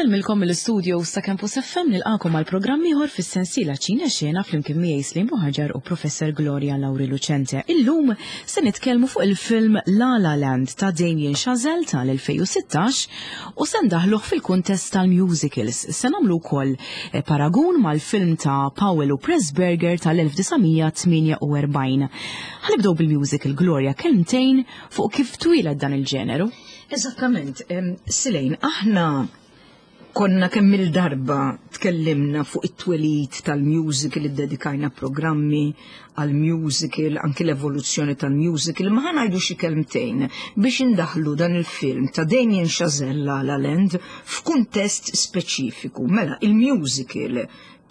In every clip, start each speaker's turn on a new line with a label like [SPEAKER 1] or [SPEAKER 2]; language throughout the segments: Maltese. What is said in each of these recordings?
[SPEAKER 1] Insellmilkom mill-istudio ta' Campus FM nilqakom għal programm ieħor fis-sensiela Ċine Xena flimkien miegħi Slim Buħaġar u Professor Gloria Lauri Lucente. Illum se nitkellmu fuq il-film La La Land ta' Damien Chazelle tal-2016 u se ndaħluh fil-kuntest tal-musicals. Se nagħmlu wkoll eh, paragun mal-film ta' Powell u Pressburger tal-1948. Ħanibdew bil-musical Gloria kelmtejn fuq kif twieled dan il-ġeneru.
[SPEAKER 2] Eżattament, Silejn, aħna konna kemm il-darba tkellimna fuq it-twelid tal-musical, iddedikajna programmi għal-musical, anki l-evoluzzjoni tal-musical, ma ħanajdu xi kelmtejn biex indaħlu dan il-film ta' Damien Chazelle La La Land f'kuntest speċifiku. Mela, il-musical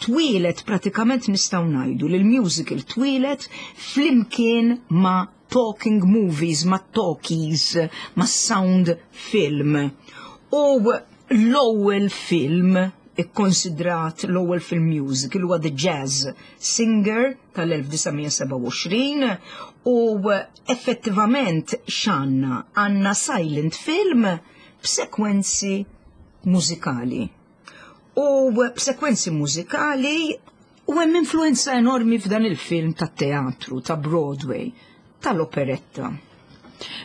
[SPEAKER 2] twieled pratikament nistgħu ngħidu li l-musical twieled flimkien ma' talking movies, ma' talkies, ma' sound film. U l-ewwel film ikkonsidrat l-ewwel film musical huwa The Jazz Singer tal-1927 u effettivament x'għandna għandna silent film b'sekwenzi mużikali. U b'sekwenzi mużikali u hemm influenza enormi f'dan il-film tat-teatru, ta' Broadway, tal-operetta.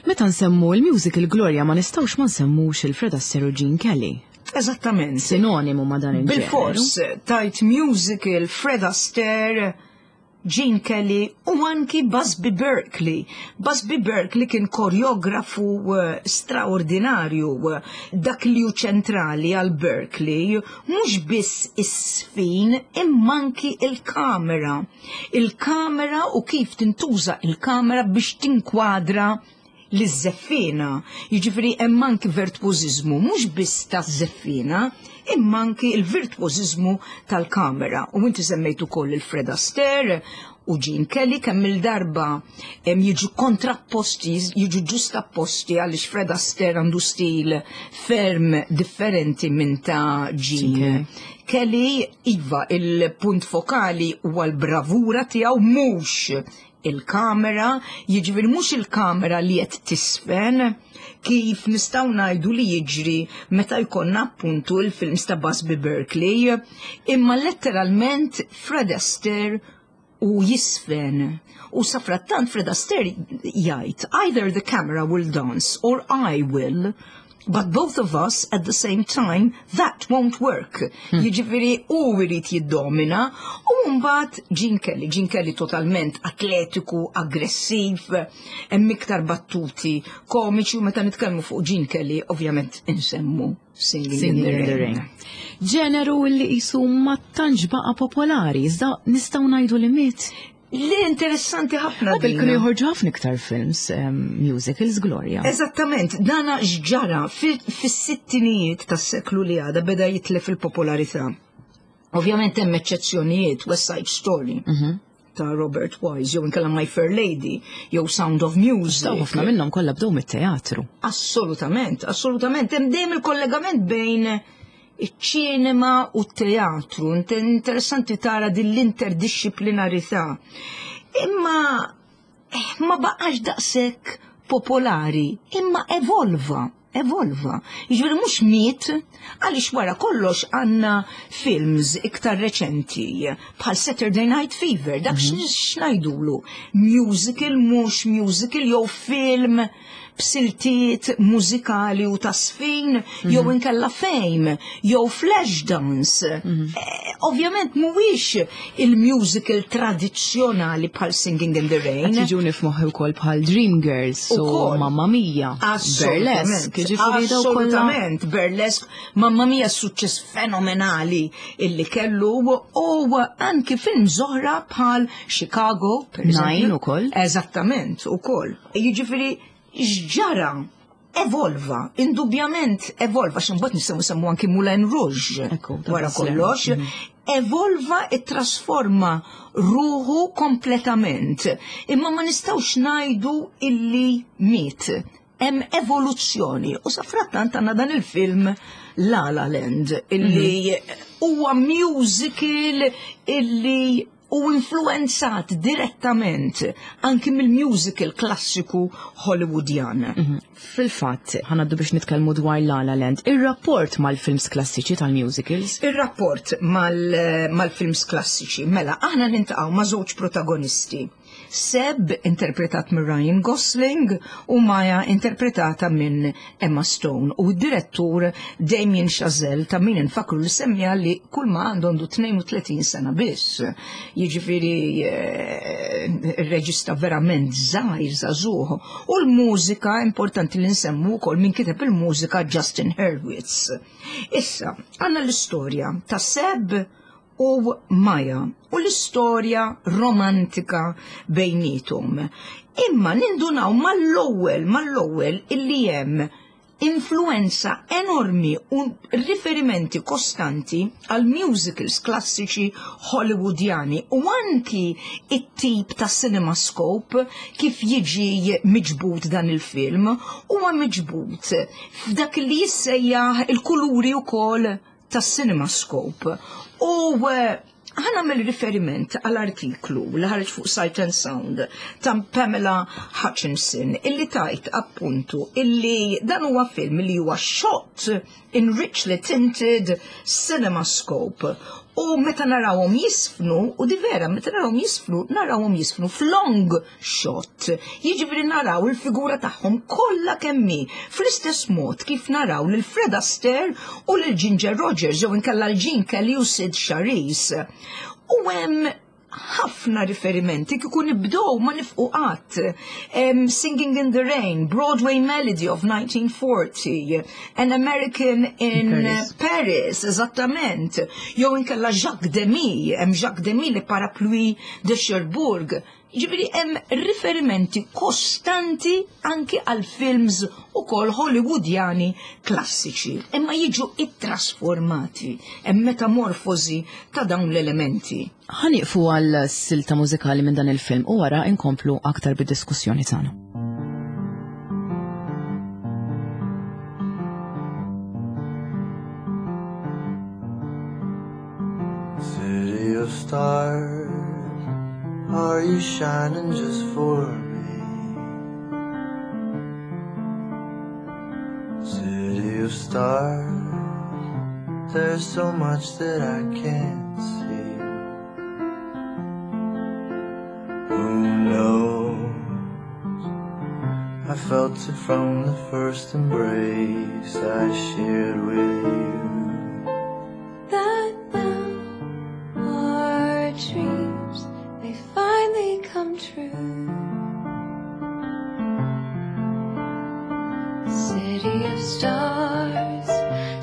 [SPEAKER 1] Meta nsemmu il-musical Gloria ma nistgħux ma nsemmux il-Fred Astaire u Gene Kelly.
[SPEAKER 2] Eżattament.
[SPEAKER 1] Sinonimu ma dan il-ġeneru.
[SPEAKER 2] Bil-fors, tajt musical, Fred Astaire, Gene Kelly u anki Busby Berkeley. Busby Berkeley kien koreografu eh, straordinarju eh, dak li hu ċentrali għal Berkeley mhux biss is-sfin imma anki il-kamera. Il-kamera u kif tintuża il-kamera biex tinkwadra liż-żeffiena. Jiġifieri hemm anki virtwożiżmu mhux biss taż-żeffiena, imma anki l-virtwożiżmu tal-kamera. U inti semmejt ukoll il-Fred Astaire u Gene Kelly kemm il-darba jiġu kontrapposti, jiġu ġustapposti għaliex Fred Astaire għandu stil ferm differenti minn ta' Gene Kelly. Iva, il-punt fokali huwa l-bravura tiegħu mhux il-kamera, jiġifieri mhux il-kamera li qed tisfen, kif nistgħu ngħidu li jiġri meta jkollna appuntu il-films ta' Busby Berkeley, imma letteralment Fred Astaire u jisfen. U safrattant Fred Astaire jgħid, either the camera will dance or I will. But both of us at the same time, that won't work. Jiġifieri u jrid jiddomina u mbagħad Gene Kelly, Gene Kelly totalment atletiku, aggressiv, hemm iktar battuti komiċi u meta nitkellmu fuq Gene Kelly ovvjament insemmu Singing,
[SPEAKER 1] Singing
[SPEAKER 2] in the Rain.
[SPEAKER 1] Ġeneru li qisu ma tantx baqa' popolari, iżda nistgħu ngħidu li miet.
[SPEAKER 2] Li interessanti ħafna.
[SPEAKER 1] Qabel kienu joħorġu ħafna iktar films, musicals, Gloria.
[SPEAKER 2] Eżattament, dana x'ġara fis-sittinijiet tas-seklu li għada beda jitlef il-popolarità. Ovvjament hemm eċċezzjonijiet, West Side Story. Ta' Robert Wise, jew inkella My Fair Lady, jew Sound of Music.
[SPEAKER 1] Daw ħafna minnhom kollha bdew mit-teatru.
[SPEAKER 2] Assolutament, assolutament. Hemm dejjem il-kollegament bejn iċ-ċinema u t-teatru. Interessanti tara din l-interdixxiplinarità. Imma eh, ma baqax daqshekk popolari, imma evolva, evolva. Jiġifieri mhux miet, għaliex wara kollox għandna films iktar reċenti bħal Saturday Night Fever, dak x'ngħidulu, musical mhux musical jew film b'siltiet mużikali u tasfin, jew inkella Fame, jew Flashdance. Eh, Ovvjament mhuwiex il-musical tradizzjonali bħal Singing in the Rain.
[SPEAKER 1] Qed jiġuni f'moħħi wkoll bħal Dreamgirls u
[SPEAKER 2] Ukoll.
[SPEAKER 1] Mamma Mia.
[SPEAKER 2] Assolutament,
[SPEAKER 1] Burlesque, jiġifieri daw kollha.
[SPEAKER 2] Assolutament, Burlesque, Mamma Mia suċċess fenomenali illi kellu u anki film oħra bħal Chicago, per
[SPEAKER 1] Nine
[SPEAKER 2] eżempju.
[SPEAKER 1] ukoll.
[SPEAKER 2] Eżattament, ukoll. Jiġifieri x'ġara evolva, indubjament evolva, x'imbagħad nistgħu nsemmu anki Moulin Rouge
[SPEAKER 1] Ekku, ta'
[SPEAKER 2] wara
[SPEAKER 1] Baz Luhrmann.
[SPEAKER 2] kollox, evolva ittrasforma ruħu kompletament. Imma ma nistgħux ngħidu illi miet. Hemm evoluzzjoni u safrattant għandna dan il-film La La Land illi huwa musical illi u influenzat direttament anki mill-musical klassiku Hollywoodjan.
[SPEAKER 1] Mhm. Fil-fatt, ħanaddu biex nitkellmu dwar La La Land, ir-rapport mal-films klassiċi tal-musicals?
[SPEAKER 2] Ir-rapport mal-films klassiċi, mela, aħna nintaqgħu ma' żewġ protagonisti. Seb, interpretat minn Ryan Gosling, u Maya, interpretata minn Emma Stone, u d-direttur Damien Chazelle ta' min infakru li semmija li kull ma għandu għandu 32 sena biss. Jiġifieri eh, ir-reġista verament żgħir żagħżugħ. U l-mużika importanti li nsemmu wkoll min kiteb il-mużika Justin Hurwitz. Issa, għandna l-istorja ta' Seb u Maja u l-istorja romantika bejnietom. Imma nindunaw mal-ewwel mal-ewwel illi hemm influenza enormi u riferimenti kostanti għal musicals klassiċi Hollywoodjani u anki it-tip ta' cinemascope kif jiġi miġbud dan il-film huwa miġbud f'dak li jissejjaħ il-kuluri wkoll tas-CinemaScope u eh, ħa nagħmel riferiment għal artiklu li ħareġ fuq Sight and Sound ta' Pamela Hutchinson illi tajt appuntu illi dan huwa film li huwa shot in richly tinted cinemascope u meta narawhom jisfnu u di vera meta narawhom jisfnu narawhom jisfnu f'long shot. Jiġifieri naraw il-figura tagħhom kollha kemm hi fl-istess mod kif naraw lil Fred Astaire u lil Ginger Rogers jew inkella l-Gene Kelly u Sid Charisse. U hemm ħafna riferimenti kieku nibdew ma nifqu qatt. Um, Singing in the Rain, Broadway Melody of 1940, An American in Paris, Paris eżattament. Jew inkella Jacques Demy, hemm Jacques Demy li Parapluie de Cherbourg. Jiġifieri hemm riferimenti kostanti anki għal films ukoll Hollywoodjani klassiċi, imma jiġu ittrasformati, hemm metamorfosi ta' dawn l-elementi.
[SPEAKER 1] Ħa nieqfu għal silta mużikali minn dan il-film u wara inkomplu aktar bid-diskussjoni tagħna. City of stars, are you shining just for me? City of stars, there's so much that I can't see. Who knows? I felt it from the first embrace I shared with you. That now our dreams may finally come true. City of stars,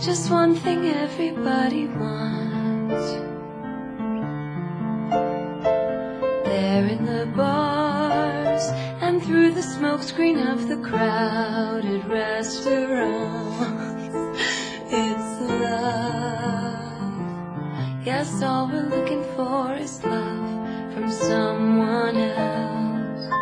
[SPEAKER 1] just one thing everybody wants. There in the bars and through the smokescreen of the crowded restaurants, it's love. Yes, all we're looking for is love from someone else.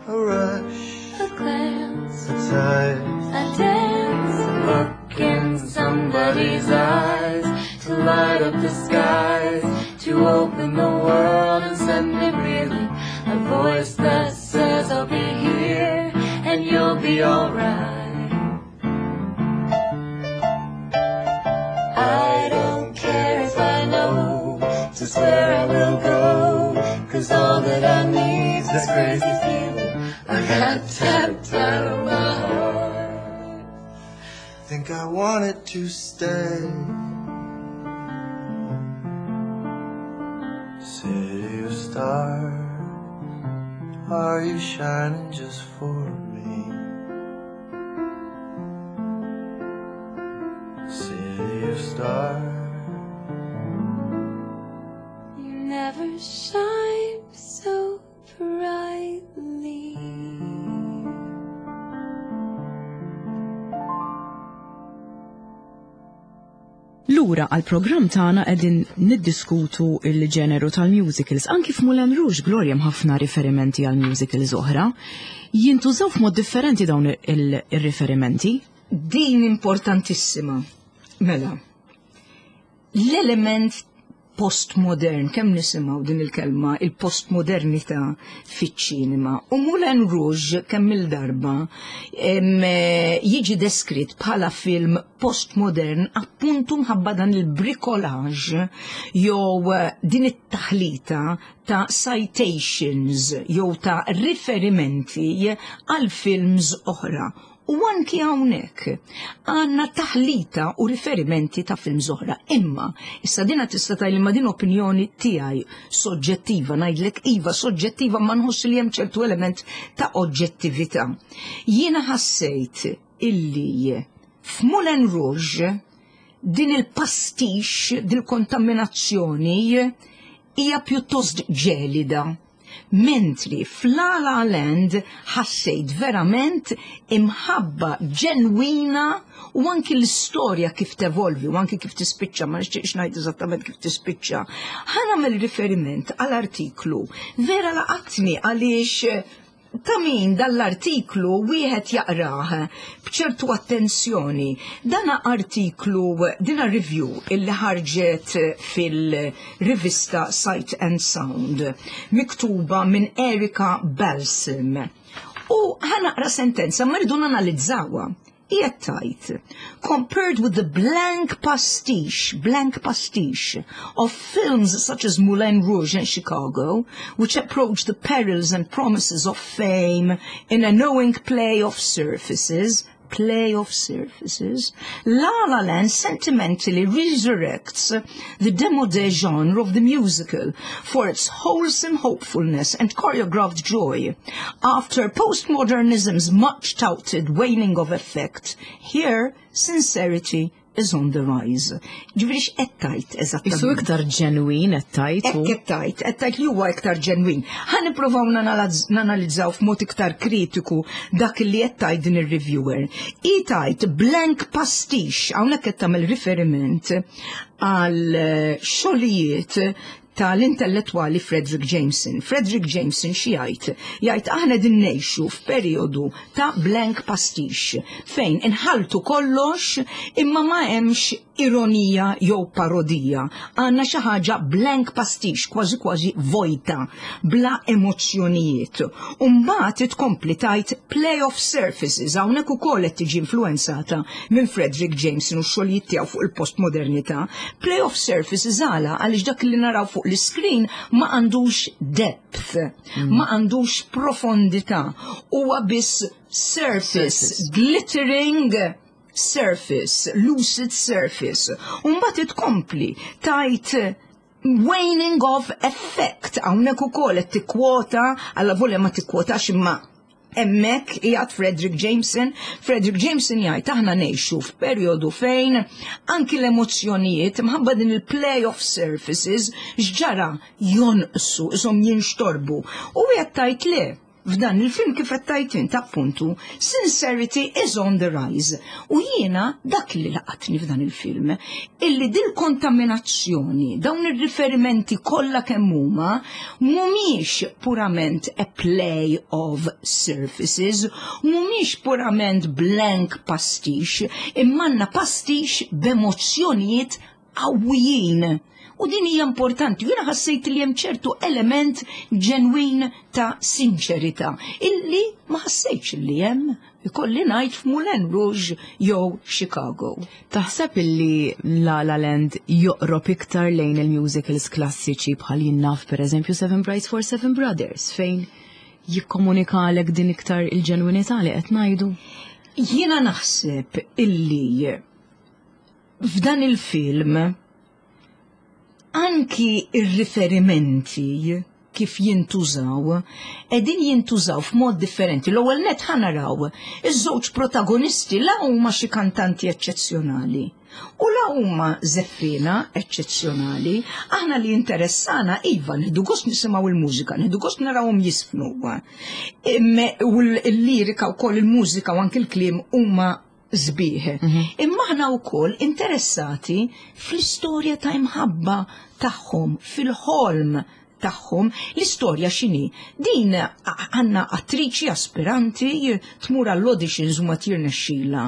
[SPEAKER 1] A rush, a glance, a touch, a dance, a look in somebody's eyes to light up the skies, to open the world and send it reeling. A voice that says I'll be here and you'll be alright. I don't care if I know just where I will go, cause all that I need's this crazy feeling I got tapped out of my heart. Think I wanted to stay. City of stars, are you shining just for me? City of stars. You never shine so brightly. Lura għall-programm tagħna qegħdin niddiskutu l-ġeneru tal-musicals. Anki f'Moulin Rouge Gloria hemm ħafna riferimenti għal musicals oħra. Jintużaw f'mod differenti dawn ir-riferimenti.
[SPEAKER 2] Din importantissima. Mela, l-element postmodern, kemm nisimgħu din il-kelma, il-postmodernità fiċ-ċinema. U Moulin Rouge kemm il-darba jiġi deskritt bħala film postmodern appuntu mħabba dan il-bricolage jew din it-taħlita ta' citations jew ta' riferimenti għal films oħra. U anki hawnhekk għandna taħlita u riferimenti ta' films oħra. Imma, issa dina tista' tgħid ma din opinjoni tiegħi soġġettiva, ngħidlek iva soġġettiva ma nħoss li hemm ċertu element ta' oġġettività. Jiena ħassejt illi f'Moulin Rouge din il-pastiche, dil-kontaminazzjoni hija pjuttost ġelida. Mentri f'La La Land ħassejt verament imħabba ġenwina u anki l-istorja kif tevolvi u anki kif tispiċċa, ma nixtieqx ngħid eżattament kif tispiċċa. Ħa nagħmel riferiment għal artiklu vera laqatni għaliex ta' min dal-artiklu wieħed jaqrah b'ċertu attenzjoni. Dana artiklu, dina review illi ħarġet fil-rivista Sight and Sound, miktuba minn Erika Balsam. U ħa naqra sentenza, ma rridu nanalizzawha. Hija tgħid, compared with the blank pastiche of films such as Moulin Rouge and Chicago, which approach the perils and promises of fame in a knowing play of surfaces, play of surfaces, La La Land sentimentally resurrects the demodé genre of the musical for its wholesome hopefulness and choreographed joy. After postmodernism's much touted waning of effect, here sincerity is on the rise. Ġifieri x'qed tgħid eżattament?
[SPEAKER 1] Isu iktar ġenwin qed tgħid.
[SPEAKER 2] Hekk qed tgħid li huwa iktar ġenwin. Ħa nippruvaw nanalizzaw f'mod iktar kritiku dak li qed tgħid din ir-reviewer. Hi tgħid blank pastiche, hawnhekk qed tagħmel riferiment għal xogħlijiet tal-intellettwali Fredric Jameson. Fredric Jameson xi jgħid? Jgħid aħna din ngħixu f'perjodu ta' blank pastiche fejn inħaltu kollox imma ma hemmx ironija jew parodija. Għandna xi ħaġa blank pastiche, kważi kważi vojta, bla emozzjonijiet. U mbagħad tkompli tgħid play of surfaces, hawnhekk ukoll qed tiġi influenzata minn Fredric Jameson u x-xogħlijiet tiegħu fuq il-postmodernità. Play of surfaces għala għaliex dak li naraw fuq l-screen ma għandux depth, ma għandux profondità, huwa biss surface, glittering surface, lucid surface. U mbagħad tkompli tgħid waning of effect, hawnhekk ukoll qed tikkwota, alla volja ma tikkwotax imma hemmhekk qiegħed Fredric Jameson. Fredric Jameson jgħid aħna ngħixu f'perjodu fejn anki l-emozzjonijiet mħabba din il-play of surfaces x'ġara jonqsu, isom jinxtorbu. U qed tgħid le, f'dan il-film kif qed tgħid int appuntu, sincerity is on the rise. U jiena dak li laqatni f'dan il-film, illi dil-kontaminazzjoni, dawn ir-riferimenti kollha kemm huma, mhumiex purament a play of surfaces, mhumiex purament blank pastiche, imma għandna pastiche b'emozzjonijiet qawwijin. U din hija importanti, jiena ħassejt li hemm ċertu element ġenwin ta' sinċerità illi ma ħassejtx li hemm ikolli ngħid f'Moulin Rouge jew Chicago.
[SPEAKER 1] Taħseb illi La La Land joqrob iktar lejn il-musicals klassiċi bħal jien naf per eżempju Seven Brides for Seven Brothers fejn jikkomunikalek din iktar il-ġenwinità li qed ngħidu?
[SPEAKER 2] Jiena naħseb illi f'dan il-film anki ir-riferimenti kif jintużaw, edin jintużaw f'mod differenti. L-ewwel net ħa naraw iż-żewġ protagonisti la huma xi kantanti eċċezzjonali u la huma żeffina eċċezzjonali. Aħna li interessana iva nieħdu gost nisimgħu il-mużika, nieħdu gost narawhom jiżfnu. U l-lirika wkoll il-mużika u anki l-kliem huma sbieħ. Imma aħna wkoll interessati fl-istorja ta' imħabba tagħhom, fil-ħolm tagħhom. L-istorja x'inhi? Din għandna attriċi aspiranti tmur għall-auditions u ma tirnexxila,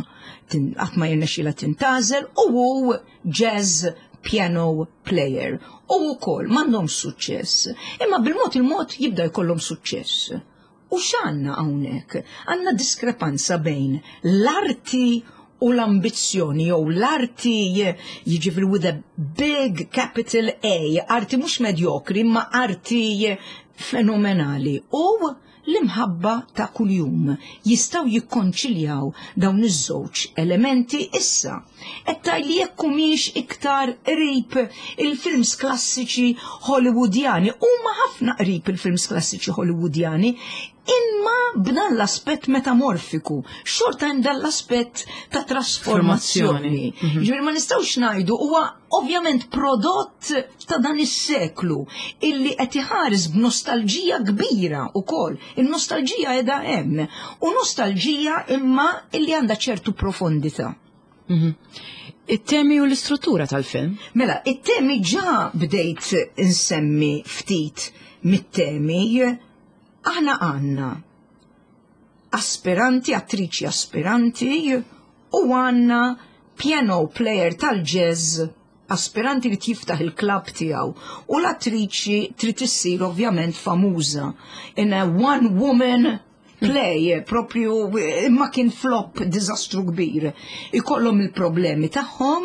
[SPEAKER 2] qatt ma jirnexxila tintgħażel u hu jazz piano player u wkoll m'għandhomx suċċess. Imma bil-mod il-mod jibda jkollhom suċċess. U x'għandna hawnhekk? Għandna diskrepanza bejn l-arti u l-ambizzjoni jew l-arti, jiġifieri with a big capital A, arti mhux medjokri imma arti fenomenali, u l-imħabba ta' kuljum. Jistgħu jikkonċiljaw dawn iż-żewġ elementi issa. Qed tgħidli jekk humiex iktar qrib il-films klassiċi Hollywoodjani. Huma ħafna qrib il-films klassiċi Hollywoodjani, imma b'dan l-aspett metamorfiku, xorta hemm dan l-aspett ta' trasformazzjoni. Ġifieri ma nistgħux ngħidu huwa ovvjament prodott ta' dan is-seklu illi qed iħares b'nostalġija kbira wkoll. In-nostalġija qiegħda hemm u nostalġija imma illi għandha ċertu profondità.
[SPEAKER 1] It-temi u l-istruttura tal-film?
[SPEAKER 2] Mela, it-temi ġa bdejt insemmi ftit mit-temi. Aħna għandna aspiranti, attriċi aspiranti, u għandna piano player tal-jazz aspiranti li jiftaħ il-klab tiegħu u l-attriċi trid issir ovvjament famuża in a one woman play propju, imma kien flop, diżastru kbir. Ikollhom il-problemi tagħhom,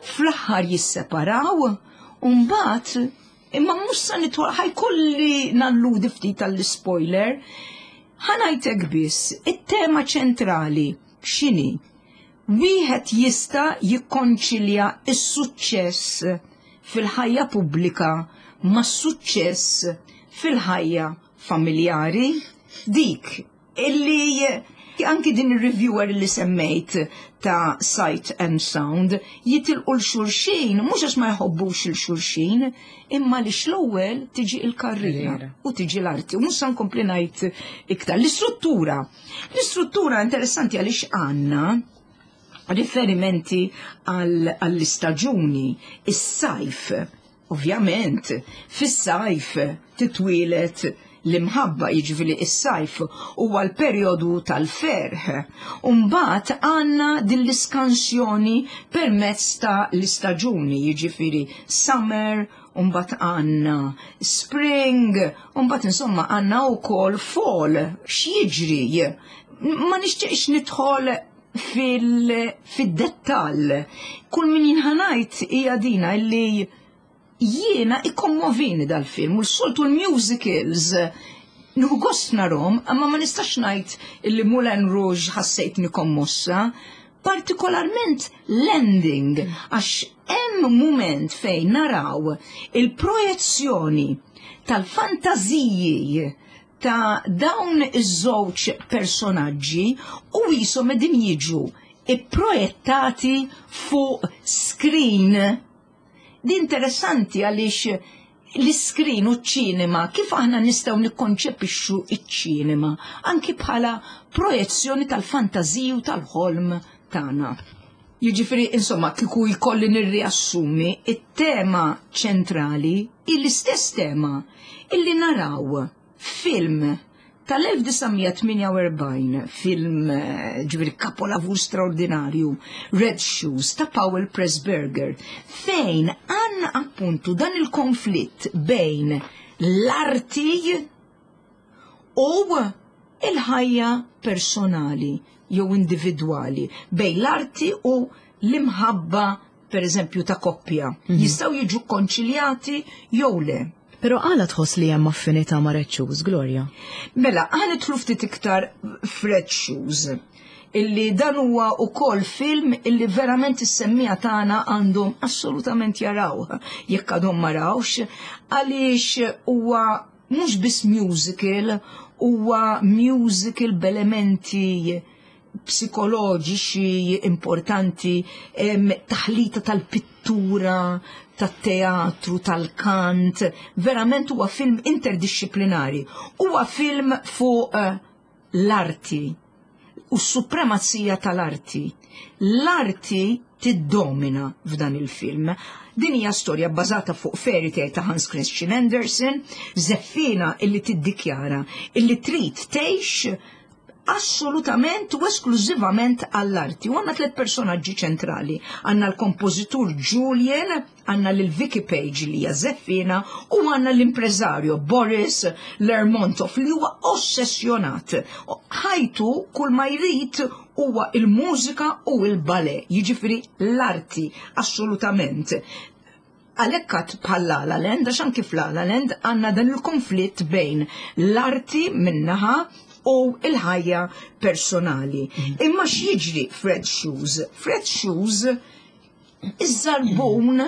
[SPEAKER 2] fl-aħħar jisseparaw, u mbagħad imma mhux sa nitwa ħa jkolli nalludi ftit tal-spoiler, ħa ngħidlek biss it-tema ċentrali x'inhi? Wieħed jista' jikkonċilja s-suċċess fil-ħajja pubblika mas-suċċess fil-ħajja familjari? Dik illi anki din il-reviewer li semmejt ta' Sight and Sound jitilqu l-xulxin, mhux għax ma jħobbux il-xulxin, imma li l-ewwel tiġi il-karriera u tiġi l-arti. U mhux sa nkompli ngħid iktar. L-istruttura. L-istruttura interessanti għaliex għandna riferimenti għall-istaġuni, is-sajf. Ovvjament, fis-sajf titwielet l-imħabba, jiġifieri is-sajf huwa l-perjodu tal-ferħ. Umbagħad għandna din l-iskansjoni permezz ta' l-istaġuni, jiġifieri summer, umbagħad għandna spring, umbagħad insomma għandna wkoll fall. X'jiġri? Ma nixtieqx nidħol fil-dettall. Kull min jien ħa ngħid hija dina illi jiena ikkommovini dal-film u s-soltu l-musicals nieħu gost narahom, imma ma nistax ngħid illi Moulin Rouge ħassejtni kommossa, partikolarment l-ending, għax hemm moment fejn naraw il-projezzjoni tal-fantaziji ta' dawn iż-żewġ personaġġi u jisom qegħdin jiġu ipprojettati fuq screen. Di interessanti għaliex l-screen u ċ-ċinema, kif aħna nistgħu nikkonċepixxu ċ-ċinema anki bħala projezzjoni tal-fantaziji u tal-ħolm tagħna. Jiġifieri, insomma, kieku jkolli nirriassumi, it-tema ċentrali hi l-istess tema illi naraw film tal-1948, film ġifieri kapolavur straordinarju, Red Shoes ta' Powell Pressburger, fejn għandna appuntu dan il-konflitt bejn l-arti u il-ħajja personali jew individwali, bejn l-arti u l-imħabba per eżempju ta' koppja. Jistgħu jiġu konċiljati jew le.
[SPEAKER 1] Pero għala tħoss li hemm affinità ma' Red Shoes, Gloria?
[SPEAKER 2] Mela, ħa nidħlu ftit iktar f'Red Shoes, illi dan huwa ukoll film illi verament is-semmiegħa tagħna għandhom assolutament jaraw jekk għadhom ma rawx, għaliex huwa mhux biss musical, huwa musical b'elementi psikoloġiċi importanti, taħlita tal-pittura, tat-teatru, tal-kant, verament huwa film interdisciplinari. Huwa film fuq l-arti u s-supremazija tal-arti. L-arti tiddomina f'dan il-film. Din hija storja bbażata fuq fairy tale ta' Hans Christian Andersen, żeffina illi tiddikjara illi trid tgħix. Assolutament u esklużivament għall-arti. U għandna tliet personaġġi ċentrali. Għandna l-kompożitur Julian, għandna lil Vicky Page li hija żeffina u għandna l-impreżarju Boris Lermontov li huwa ossessjonat. Ħajtu kull ma jrid huwa il-mużika u l-ballet, jiġifieri l-arti assolutament. Għalhekk għad bħal La La Land, għax anki f'La La Land għandna dan il-konflitt bejn l-arti minnaħa u l-ħajja personali. Imma x'jiġri f'Red Shoes? F'Red Shoes iż-żarbun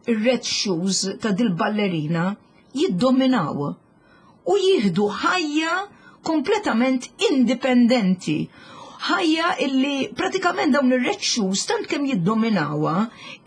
[SPEAKER 2] ir-red shoes ta' dil-ballerina jiddominaw u jieħdu ħajja kompletament indipendenti. Ħajja illi pratikament dawn ir-red shoes tant kemm jiddominawha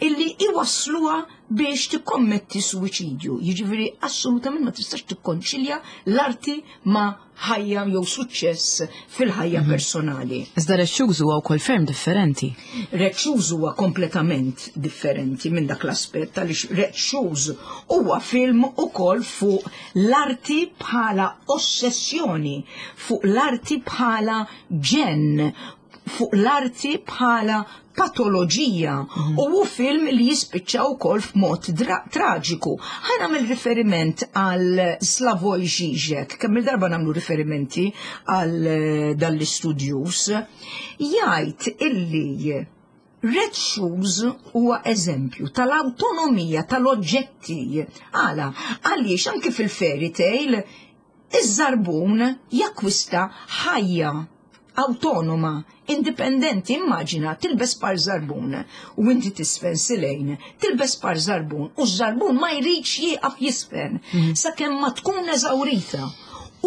[SPEAKER 2] illi iwassluha biex tikkommetti suwiċidju. Jiġifieri assolutament ma tistax tikkonċilja l-arti ma' ħajja jew suċċess fil-ħajja mhm. personali.
[SPEAKER 1] Iżda Red Shoes huwa wkoll ferm differenti.
[SPEAKER 2] Red Shoes huwa kompletament differenti minn dak l-aspett għaliex Red Shoes huwa film ukoll fuq l-arti bħala ossessjoni, fuq l-arti bħala ġen, fuq l-arti bħala patoloġija mhm. u hu film li jispiċċa wkoll f'mod traġiku. Ħa nagħmel riferiment għal Slavoj Žižek, kemm il-darba nagħmlu riferimenti għal eh, dan l-istudjus, jgħid illi Red Shoes huwa eżempju tal-awtonomija tal-oġġetti. Għala, għaliex anki fil-fairy tale iż-żarbun jakkwista ħajja awtonoma, indipendenti, immaġina tilbes par żarbun u inti tisfen silejn, tilbes par żarbun u ż-żarbun ma jridx jieqaf jisfen mhm. sakemm ma tkun eżawrita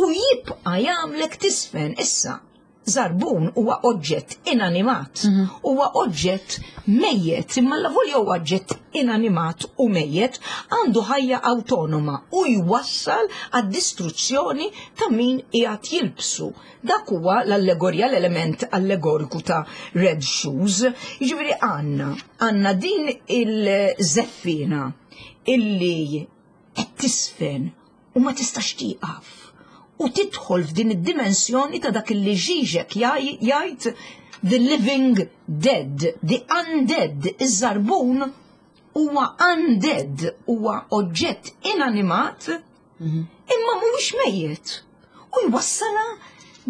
[SPEAKER 2] u jibqa' jagħmlek tisfen issa. Żarbun huwa oġġett inanimat, mhm. huwa oġġett mejjet, imma l-avolja huwa oġġett inanimat u mejjet għandu ħajja awtonoma u jwassal għad-distruzzjoni ta' min qiegħed jilbsu. Dak huwa l-allegorja, l-element allegoriku ta' Red Shoes. Jiġifieri għandna għandna din il-żeffina illi qed tisfen u ma tistax tieqaf u tidħol f'din id-dimensjoni ta' dak li Žižek jgħid the living dead, the undead, iż-żarbun huwa undead, huwa oġġett inanimat mhm. imma mhuwiex mejjet u jwassalha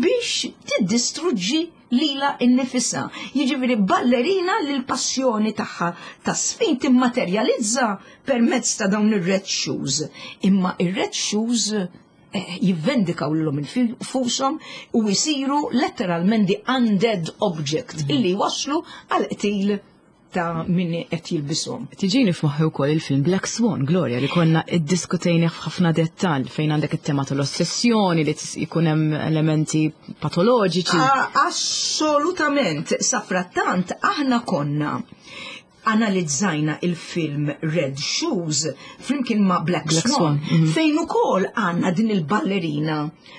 [SPEAKER 2] biex tiddistruġġi lilha nnifisha. Jiġifieri ballerina li l-passjoni tagħha ta' sfin timmaterjalizza permezz ta' dawn ir-red shoes. Imma ir-red shoes eh, jivvendikaw lilhom infushom u jsiru letteralment the undead object mhm. illi waslu għal qtil ta' min qed jilbishom.
[SPEAKER 1] Tiġini f'moħħi wkoll il-film Black Swan, Gloria, li konna iddiskutejnih f'ħafna dettall fejn għandek it-tema tal-ossessjoni li jkun hemm elementi patoloġiċi.
[SPEAKER 2] Assolutament, safrattant aħna konna analizzajna il-film Red Shoes flimkien ma' Black, Black Swan, Swan mhm. fejn ukoll għandna din il-ballerina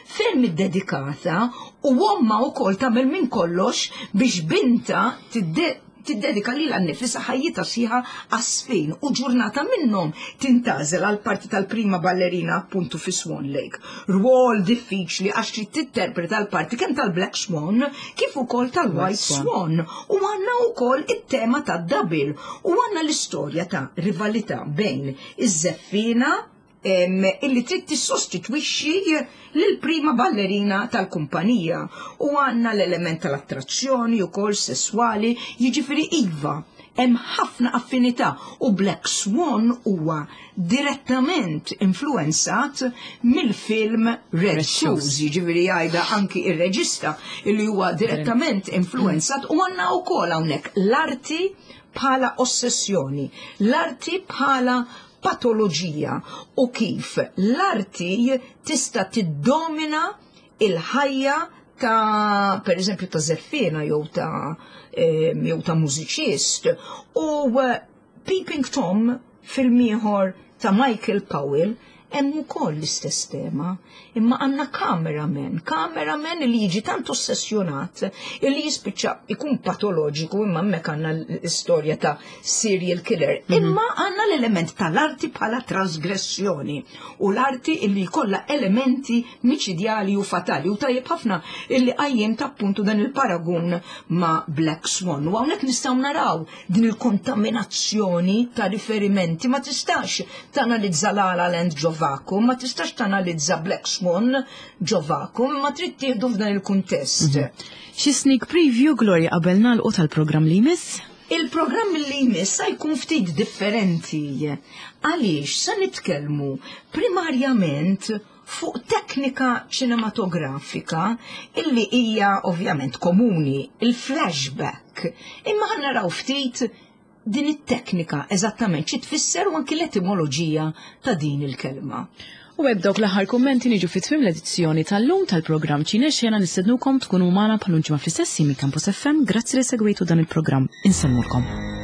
[SPEAKER 2] ferm iddedikata u omma wkoll tagħmel minn kollox biex binta tiddedika lilha nnifisha ħajjitha sħiħa għas-sfin u ġurnata minnhom tintgħażel għal parti tal-prima ballerina appuntu fi Swan Lake. Rwol diffiċli għax trid tinterpreta l-parti kemm tal-Black Swan kif ukoll tal-White Swan. U għandna wkoll it-tema tad-double u għandna l-istorja ta' rivalità bejn iż-żeffina illi trid tissostitwixxi lill-prima ballerina tal-kumpanija u għandna l-element tal-attrazzjoni wkoll sesswali, jiġifieri iva, hemm ħafna affinità u Black Swan huwa direttament influenzat mill-film Red Shoes, jiġifieri jgħidha anki ir-reġista illi huwa direttament influenzat u għandna wkoll hawnhekk l-arti bħala ossessjoni, l-arti bħala patoloġija u kif l-arti tista' tiddomina il-ħajja ta' per eżempju ta' zeffina jew ta' jew ta' mużiċist u eh, Peeping Tom film ieħor ta' Michael Powell. Hemm ukoll l-istess tema, imma għandna cameraman, cameraman li jiġi tant ossessjonat illi jispiċċa ikun patoloġiku imma hemmhekk għandna l-istorja ta' serial killer. Imma għandna l-element tal-arti bħala trasgressjoni u l-arti illi jkollha elementi miċidjali u fatali u tajjeb ħafna illi qajjim ta' appuntu dan il-paragun ma' Black Swan. U hawnhekk nistgħu naraw din il-kontaminazzjoni ta' riferimenti ma tistax tanalizza La La Land ġo vacuum, ma tistax tanalizza Black Swan ġo vacuum, ma trid tieħdu f'dan il-kuntest.
[SPEAKER 1] Xi sneak preview Gloria qabel nagħlqu tal-programm li jmiss?
[SPEAKER 2] Il-programm li jmiss sa jkun ftit differenti. Għaliex sa nitkellmu primarjament fuq teknika ċinematografika illi hija ovvjament komuni, il-flashback. Imma ħa naraw ftit din it-teknika eżattament xi tfisser u anki l-etimoloġija ta' din il-kelma.
[SPEAKER 1] U hekk dawk l-aħħar kummenti niġu fi tmiem l-edizzjoni tal-lum tal-programm Ċine Xena nistednukom tkunu magħna bħal ġimgħa fl-istess minn Campus FM. Grazzi li segwejtu dan il-programm. Insellmulkom.